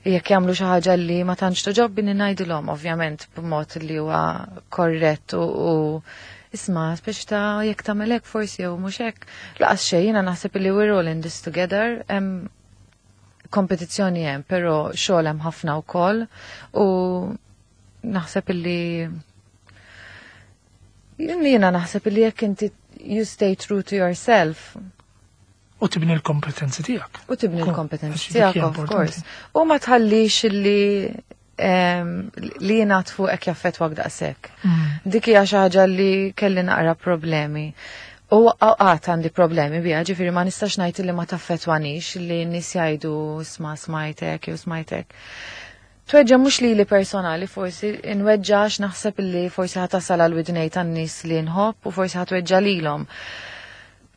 jekk jagħmlu xi ħaġa li ma tantx togħġobni ngħidilhom, ovvjament b'mod li huwa korrett u isma', speċi ta' jekk tagħmel hekk forsi jew mhux hekk. Lanqas xejn, jiena naħseb li we're all in this together. Hemm kompetizzjoni hemm, però xogħol hemm ħafna wkoll u naħseb li jiena naħseb li jekk inti you stay true to yourself.
U tibni l-kompetenzi tiegħek.
U tibni l-kompetenzi tiegħek, of course. U ma tħallix li jingħad fuqek jaffettwak daqshekk. Dik hija xi ħaġa li kelli naqra problemi. U għad għandi problemi biha, ġifieri ma nistax ngħid li ma taffettwanix li n-nies jgħidu sma smajtek jew smajtek. Tweġġa mhux li li personali, forsi nweġġax, naħseb li forsi ħa tasal għal widnejn tan-nies li nħobb u forsi ħa tweġġa' lilhom.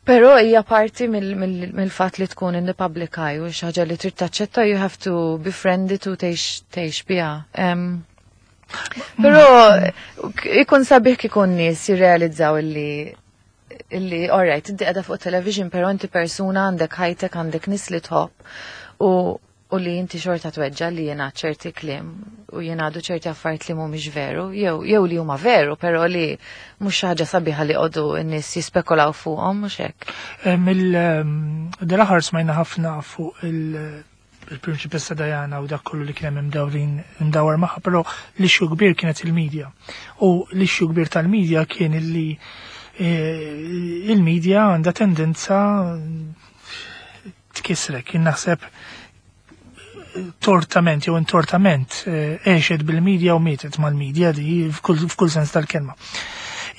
Però hija parti mill-fatt li tkun in the public eye u xi ħaġa li trid taċċetta, you have to befriend it u tgħix biha. Però ikun sabiħ kikun nies jirrealizzaw illi alright, inti qiegħda fuq television, però inti persuna, għandek ħajtek, għandek nies li tħobb u li inti xorta tweġġa li jiena ċerti kliem u jingħadu ċerti affarijiet li mhumiex veru, jew li huma veru, però li mhux ħaġa sabiħa li qogħdu n-nies jispekulaw fuqhom, mhux hekk.
Mill-aħħar smajna ħafna fuq il-Prinċipessa Diana u dak kollu li kien hemm imdawrin imdawar magħha, però l-issue kbir kienet il-medja. U l-issue kbir tal-medja kien illi il-medja għandha tendenza tkisrek. Jien naħseb tortament jew intortament għexet bil-medja u mietet mal-medja di f'kull sens tal-kelma.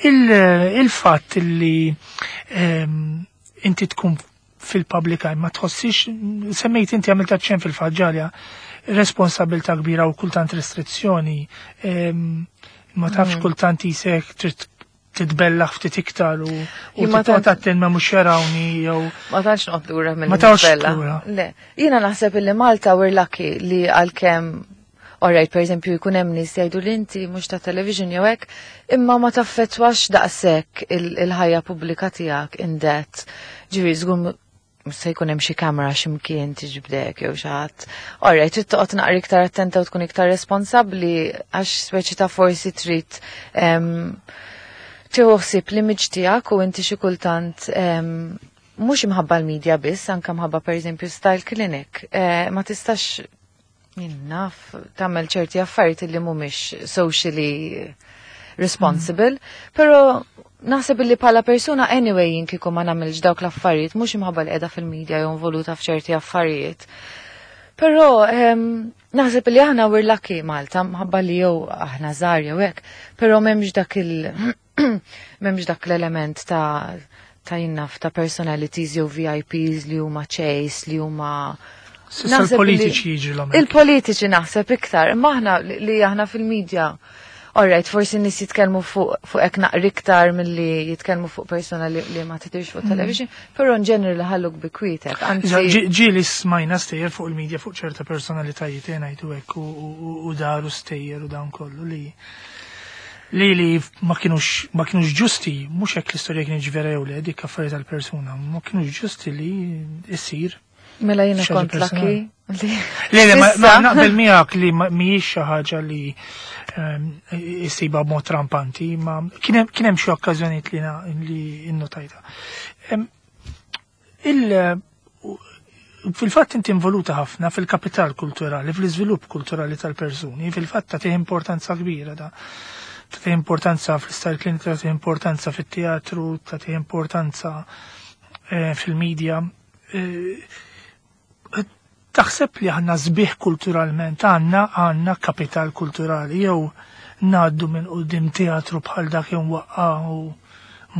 Il-fatt li inti tkun fil-public eye ma tħossix, semmejt inti għamilt aċċenn fil-faġġalja, responsabilta kbira u kultant restrizzjoni, ma tafx kultant jisek trid titbellaħ ftit iktar u
Jien ma
titqgħod attent ma mhux jarawni jew
Ma tantx noqgħod lura mill
Ma tantx
nitbella.
lura.
Le, jiena naħseb illi Malta we're lucky li għalkemm, alright, per eżempju, jkun hemm nies jgħidu li inti mhux ta' television jew hekk, imma ma taffettwax daqshekk il-ħajja pubblika tiegħek in that. Ġifieri żgur mhux se jkun hemm xi kamera x'imkien tiġbdek jew xi ħadd. Alright, trid toqgħod naqra iktar attenta u tkun iktar responsabbli għax speċi ta' forsi trid tieħu ħsieb l-image tiegħek u inti xi kultant mhux imħabba l-media biss, anke mħabba pereżempju Style Clinic. Ma tistax jien naf tagħmel ċerti affarijiet li mhumiex socially responsible, però naħseb li bħala persuna anyway jien kieku ma nagħmilx dawk l-affarijiet, mhux imħabba li qiegħda fil-media jew involuta f'ċerti affarijiet. Però naħseb li aħna we're lucky Malta, mħabba li jew aħna żgħar jew hekk, però m'hemmx dak l-element ta' ta' jien naf ta' personalities jew VIPs li huma chase, li huma
S'issa l-politiċi jiġrilhom.
Il-politiċi naħseb iktar, imma aħna li aħna fil-medja. Alright, forsi nies jitkellmu fuq hekk naqra iktar milli jitkellmu fuq persona li ma tidirx fuq television, però in ġenerali ħalluk bi kwietek. Anzi,
Ġieli smajna stejjer fuq il-medja fuq ċerta personalitajiet eh, ngħidu hekk u daru stejjer u dan kollu li ma kienux ġusti, mhux hekk l-istorja kienet vera jew le, dik affarijiet tal-persuna, ma kienux ġusti li issir.
Mela jiena
Xi ħaġa
kont lucky.
Le, le, ma
S'issa.
naqbel miegħek li mhijiex xi ħaġa li issibha b'mod rampanti, ma kien hemm xi okkażjonijiet li innotajta. Fil-fatt inti involuta ħafna fil-kapital kulturali, fil-iżvilupp kulturali tal-persuni, fil-fatt tagħtih importanza kbira da. Tagħtih importanza fl-style clinic, tagħtih importanza fit-teatru, tagħtih importanza fil-medja. Taħseb li aħna sbieħ kulturalment, għandna kapital kulturali, jew ngħaddu minn quddiem teatru bħal dak jew waqqa u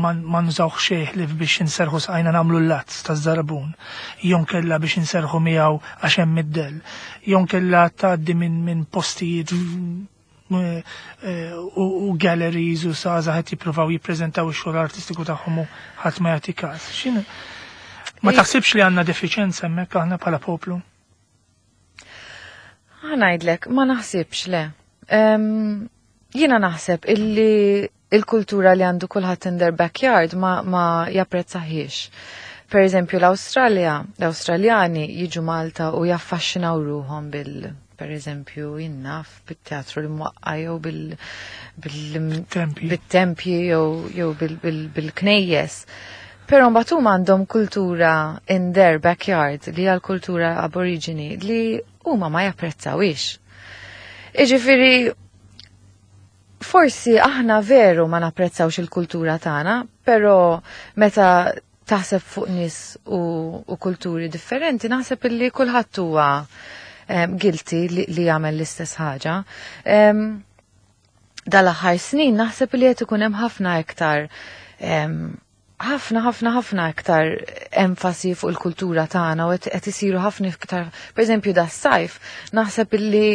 ma nużawx xejn li biex inserħu saqajna nagħmlu l-lazz ta' żarbun, jew kella biex inserħu miegħu għax hemm id-dell, jew kella tgħaddi minn postijiet u galleries u żgħażagħ qed jippruvaw jippreżentaw ix-xogħol artistiku tagħhom u ħadd ma jagħti każ. X'inhu? Ma taħsibx li għandna defiċenza hemmhekk aħna bħala poplu?
Ħa ngħidlek, ma naħsibx le. Jiena naħseb illi il-kultura li għandu kulħadd in their backyard ma japprezzahiex. Per eżempju, l-Awstralja, l-Awstraljani jiġu Malta u jaffaxxinaw ruħhom per eżempju, jien naf, bit-teatru li mwaqqa jew
Tempji.
bit-tempji jew bil-knejjes. Però mbagħad huma għandhom kultura in their backyard li hija l-kultura aborigini li huma ma japprezzawix. Iġifieri, forsi aħna veru ma napprezzawx il-kultura tagħna, però meta taħseb fuq nies u kulturi differenti, naħseb illi kulħadd huwa guilty li jagħmel l-istess ħaġa. Dal-aħħar snin naħseb li qed ikun hemm ħafna iktar ħafna ħafna ħafna iktar enfasi fuq il-kultura tagħna u qed isiru ħafna iktar, pereżempju das-sajf, naħseb illi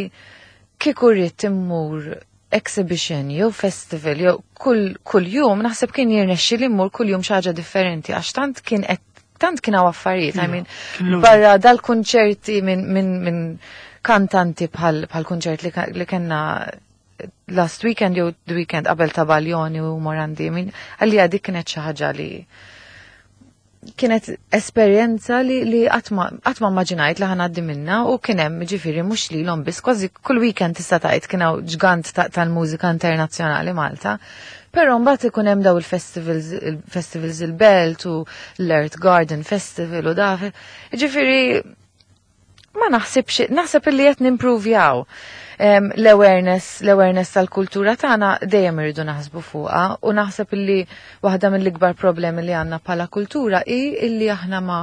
kieku rrid immur exhibition jew festival jew kull jum naħseb kien jirnexxi li mmur kull jum xi ħaġa differenti għax tant kien hawn affarijiet, I mean,
Kien l
barra dal-kunċerti minn kantanti bħal kunċert li kellna last weekend jew the weekend qabel ta' Baglioni u Morandi, I mean, għalija dik kienet xi ħaġa li kienet esperjenza li qatt ma immaġinajt li ħa ngħaddi minna u kien hemm ġifieri mhux lilhom biss, kważi kull weekend tista' tgħid kien hawn ġgant tal-mużika internazzjonali Malta. Però mbagħad ikun hemm daw il-festivals, il-festivals il-Belt u l-Earth Garden Festival u daf. Ġifieri ma naħsibx, naħseb illi qed nimprovjaw. L-awareness tal-kultura tagħna dejjem irridu naħsbu fuqha u naħseb illi waħda mill-ikbar problemi li għandna bħala kultura hi illi aħna ma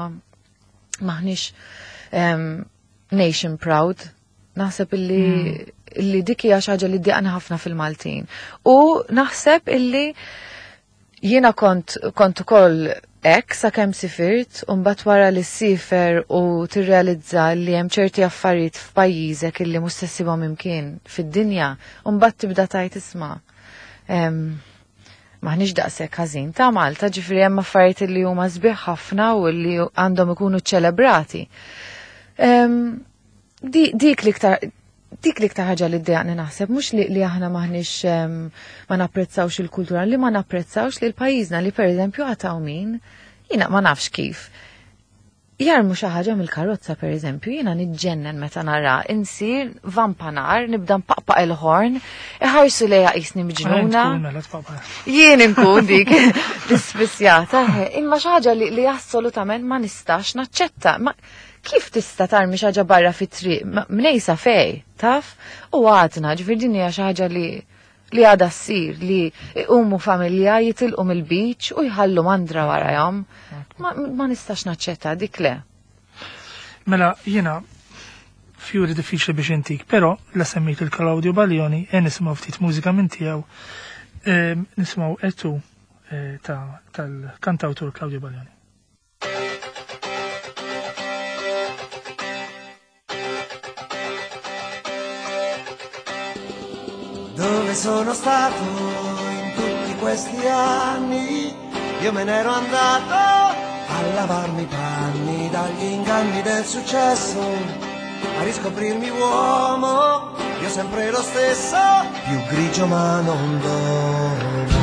maħniex nation proud. Naħseb illi dik hija xi ħaġa li ddiqna ħafna fil-Maltin. U naħseb illi jiena kont ukoll hekk sakemm sifirt, u mbagħad wara li ssifer u tirrealizza li hemm ċerti affarijiet f'pajjiżek illi mhux se ssibhom imkien fid-dinja, u mbagħad tibda tgħid isma'. Maħniex daqshekk ħażin ta' Malta, ġifieri hemm affarijiet li huma sbieħ ħafna u li għandhom ikunu ċelebrati. Dik l-iktar ħaġa li ddejjaqni naħseb, mhux li aħna maħniex ma napprezzawx il-kultura, li ma napprezzawx li l-pajjiżna li pereżempju għataw min, jiena ma nafx kif. Jarmu xi ħaġa mill-karozza pereżempju, jiena niġġennen meta nara insir vampanar, nibda npaqpaq il-ħorn, iħarsu lejja qisni miġnuna.
Tkun mela tpaqpaq.
Jien inkun dik l-ispissjata, imma xi ħaġa li assolutament ma nistax naċċetta. Ma kif tista' tarmi xi ħaġa barra fit-triq? Mnejsa fej, taf? U għadna, ġifieri din hija xi ħaġa li għadha ssir, li iqumu familja jitilqu mill-beach u jħallu mandra warajhom. Ma nistax naċċetta dik le.
Mela, jiena fjuri diffiċli biex intik, però la semmejt il-Claudio Baglioni e nisimgħu ftit mużika minn tiegħu. Nisimgħu Etu. tal-kantawtur Claudio Baglioni.
Dove sono stato in tutti questi anni? Io me n'ero andato a lavarmi i panni dagli inganni del successo, a riscoprirmi uomo, io sempre lo stesso, più grigio ma non d'oro.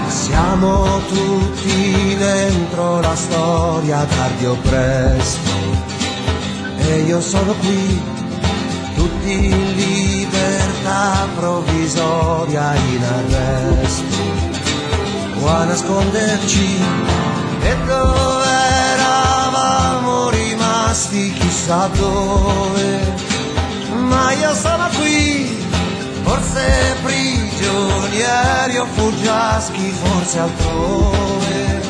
Siamo tutti dentro la storia tardi o presto, e io sono qui, tutti in libertà provvisoria, in arresto o a nasconderci. E dove eravamo rimasti chissà dove, ma io sono qui, forse prigionieri o fuggiaschi, forse altrove,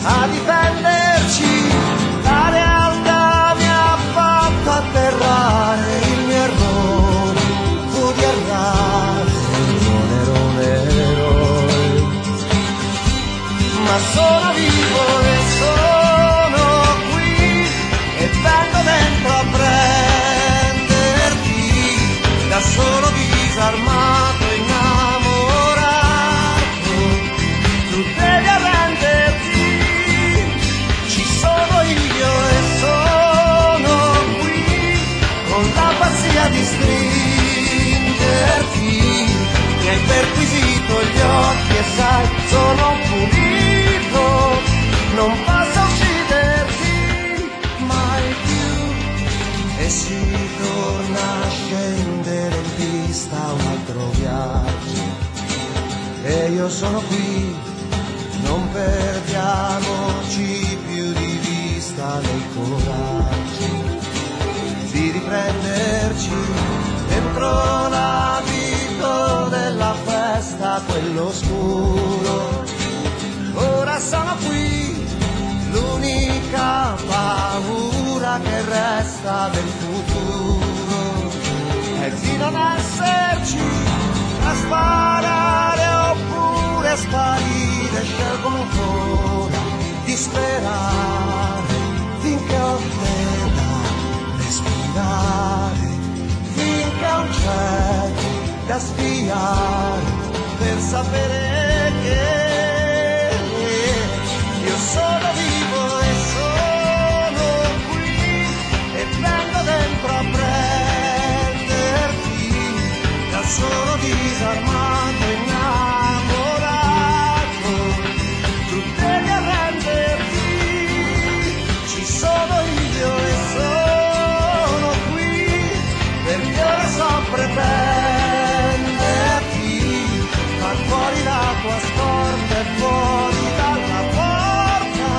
a difenderci. La realtà mi ha fatto atterrare, il mio errore fu di errare, non ero un eroe, ma sono vivo e sono qui e vengo dentro a prenderti, da solo disarmato, innamorato, tu devi arrenderti, ci sono io e sono qui, con la pazzia di stringerti, mi hai perquisito gli occhi e sai, sono pulito, non posso ucciderti mai più. E si torna a scendere in pista un altro viaggio, e io sono qui, non perdiamoci più di vista nel coraggio di riprenderci dentro l'abito della festa, quello scuro. Ora sono qui, l'unica paura che resta del futuro è di non esserci, a sparare oppure a sparire. Scelgo ancora di sperare finché ho te da respirare, finché ho un cielo da spiare, per sapere che io sono vivo e sono qui e vengo dentro a prenderti, da solo disarmato, innamorato, tu devi arrenderti, ci sono io e sono qui, perché ora so pretenderti, ma fuori la tua scorta e fuori dalla porta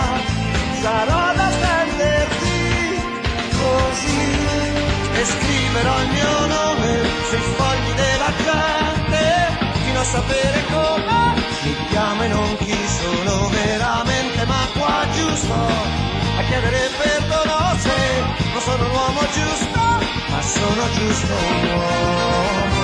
sarò ad attenderti così, e scriverò il mio nome sui fogli della gente, fino a sapere come mi chiamo e non chi sono veramente, ma qua giusto a chiedere perdono se non sono l'uomo giusto, ma sono giusto un uomo.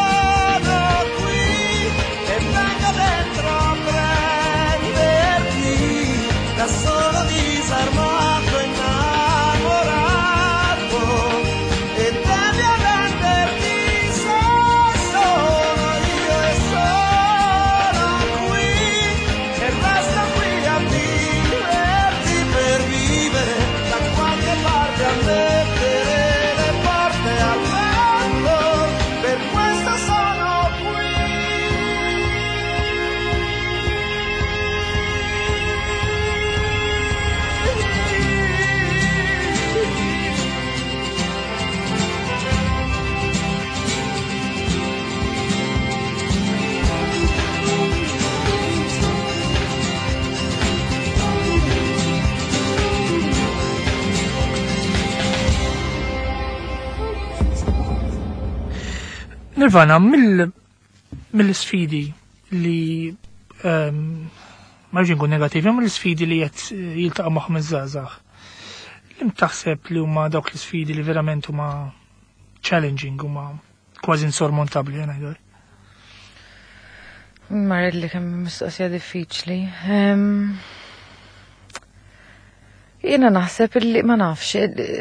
Sono qui e vengo dentro a prenderti, da solo disarmato, innamorato, e
Nirvana, mill-sfidi li ma rridx nkun negattiv, mill-sfidi li qed jiltaqa' magħhom iż-żgħażagħ. Liema taħseb li huma dawk l-sfidi li verament huma challenging, huma kważi insormontabbli, ngħidu?
Marelli kemm mistoqsija diffiċli. Jiena naħseb illi ma nafx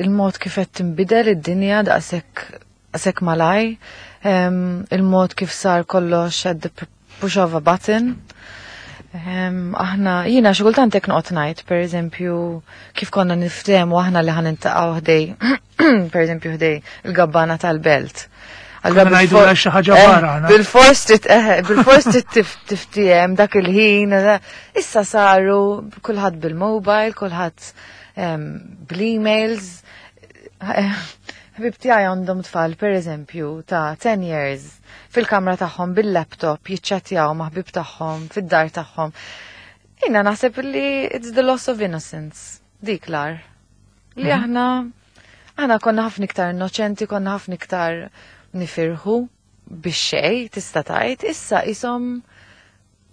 il-mod kif qed tinbidel id-dinja daqshekk malaj, il-mod kif sar kollox at the push of a button. Aħna, jiena xi kultant hekk noqgħod ngħid, pereżempju, kif konna niftehmu aħna li ħa niltaqgħu ħdejn, pereżempju ħdejn il-gabbana tal-belt.
Allora ngħidu xi ħaġa barra.
Bil-fors trid tiftiehem dak il-ħin. Issa saru kulħadd bil-mobile, kulħadd bl-emails. Ħbieb tiegħi għandhom tfal, per eżempju, ta' 10 years fil-kamra tagħhom bil-laptop jiċċattjaw ma' ħbieb tagħhom fid-dar tagħhom. Jiena naħseb li it's the loss of innocence, dik l-ar. Li aħna konna ħafna iktar innoċenti, konna ħafna iktar nifirħu biex xej, tista' tgħid, issa isom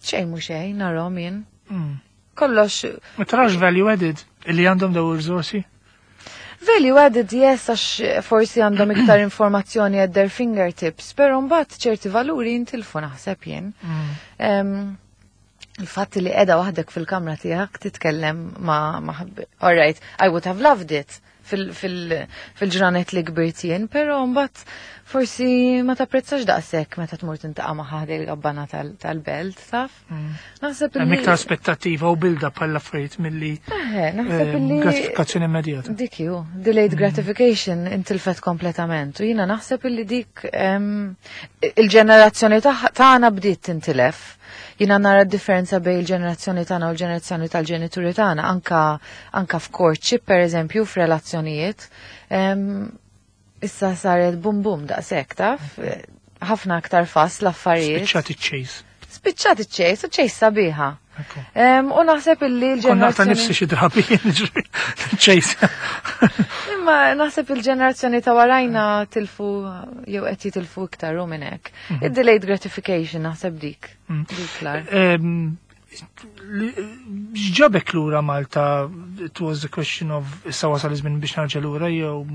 xejn mhu xejn narahom jien. Kollox.
Ma tarax value added illi għandhom daw ir-riżorsi?
Value added, yes, għax forsi għandhom iktar informazzjoni at their fingertips, pero mbagħad ċerti valuri jintilfu naħseb jien. Il-fatt li qiegħda waħdek fil-kamra tiegħek titkellem ma all right, I would have loved it fil-ġranet li kbirt jien, pero mbagħad forsi ma tapprezzax daqshekk meta tmur tiltaqa' ma' ħdejn il-gabbana tal-belt, taf? Naħseb
Hemm iktar aspettattiva u build up għall affarijiet milli
Naħseb illi
gratifikazzjoni immedjata.
Dik ju, delayed gratification intilfet kompletament. U jiena naħseb illi dik il-ġenerazzjoni tagħna bdiet tintilef. Jiena nara differenza bejn il-ġenerazzjoni tagħna u l-ġenerazzjoni tal-ġenituri tagħna, anka f'courtship per eżempju, f'relazzjonijiet. Issa saret bum bum daqshekk, taf? Ħafna aktar fast l-affarijiet.
Spiċċat iċ-chase.
Spiċċat iċ-chase, u chase sabiħa. U naħseb illi
Konna ta'
l-ġenerazzjoni
nifsi xi drabi chase.
Imma naħseb il-ġenerazzjoni ta' warajna tilfu jew qed jitilfu iktar u minn hekk. Id-delayed gratification naħseb dik. Dik l-ar.
X'ġabek lura Malta? It was a question of issa wasal iż-żmien biex narġa' lura jew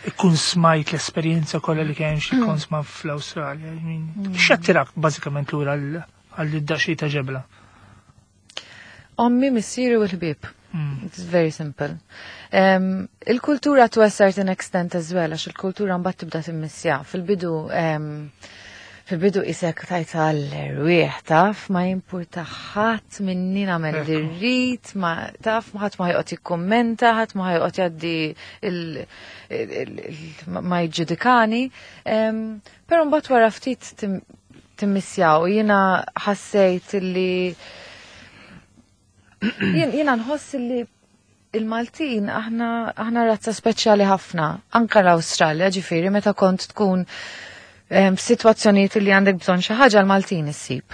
ikun smajt l-esperjenza kollha li kien xi konsma fl-Awstralja. I mean, x'attirak bażikament lura għal daqsxejn ta' ġebla?
Ommi, missieri u l-ħbieb. It's very simple. Il-kultura to a certain extent as well, għax il-kultura mbagħad tibda timmissja. Fil-bidu isek tajt għall-erwieħ, taf, ma jimpurta ħadd minni nagħmel li rrid, ma taf, ma ħadd ma ħa joqgħod jikkummenta, ħadd ma ħa joqgħod jgħaddi ma jiġġudikani. Però mbagħad wara ftit timmissjaw, jiena ħassejt li jiena nħoss li il-Maltin aħna razza speċjali ħafna, anka l-Awstralja, ġifieri meta kont tkun f'sitwazzjonijiet li għandek bżonn xi ħaġa l-Maltin issib.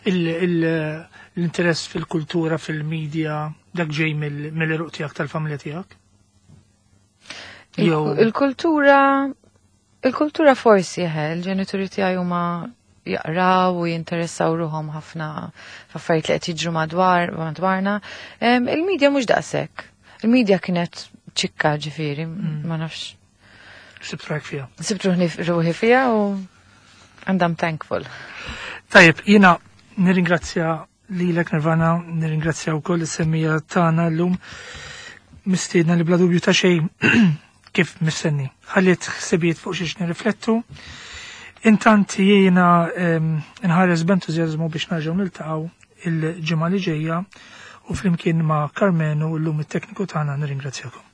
L-interess fil-kultura, fil-medja, dak ġej mill-għeruq tiegħek tal-familja tiegħek? Jew
Il-kultura forsi, il-ġenituri tiegħi huma jaqraw u jinteressaw ruħhom ħafna f'affarijiet li qed jiġru madwarna. Il-medja mhux daqshekk. Il-medja kienet ċikka ġifieri, ma nafx.
Sibt ruħek fiha.
Sibt ruħi fiha u and I'm thankful.
Tajjeb, jiena nirringrazzja lilek Nirvana, nirringrazzja wkoll is-semmiegħa tagħna llum mistiedna li bla dubju ta' xejn kif mistenni. Ħalliet ħsibijiet fuq xiex nirriflettu. Intant jiena nħares b'entużjażmu biex nerġgħu niltaqgħu il-ġimgħa li ġejja u flimkien ma' Karmenu llum it-tekniku tagħna nirringrazzjakom.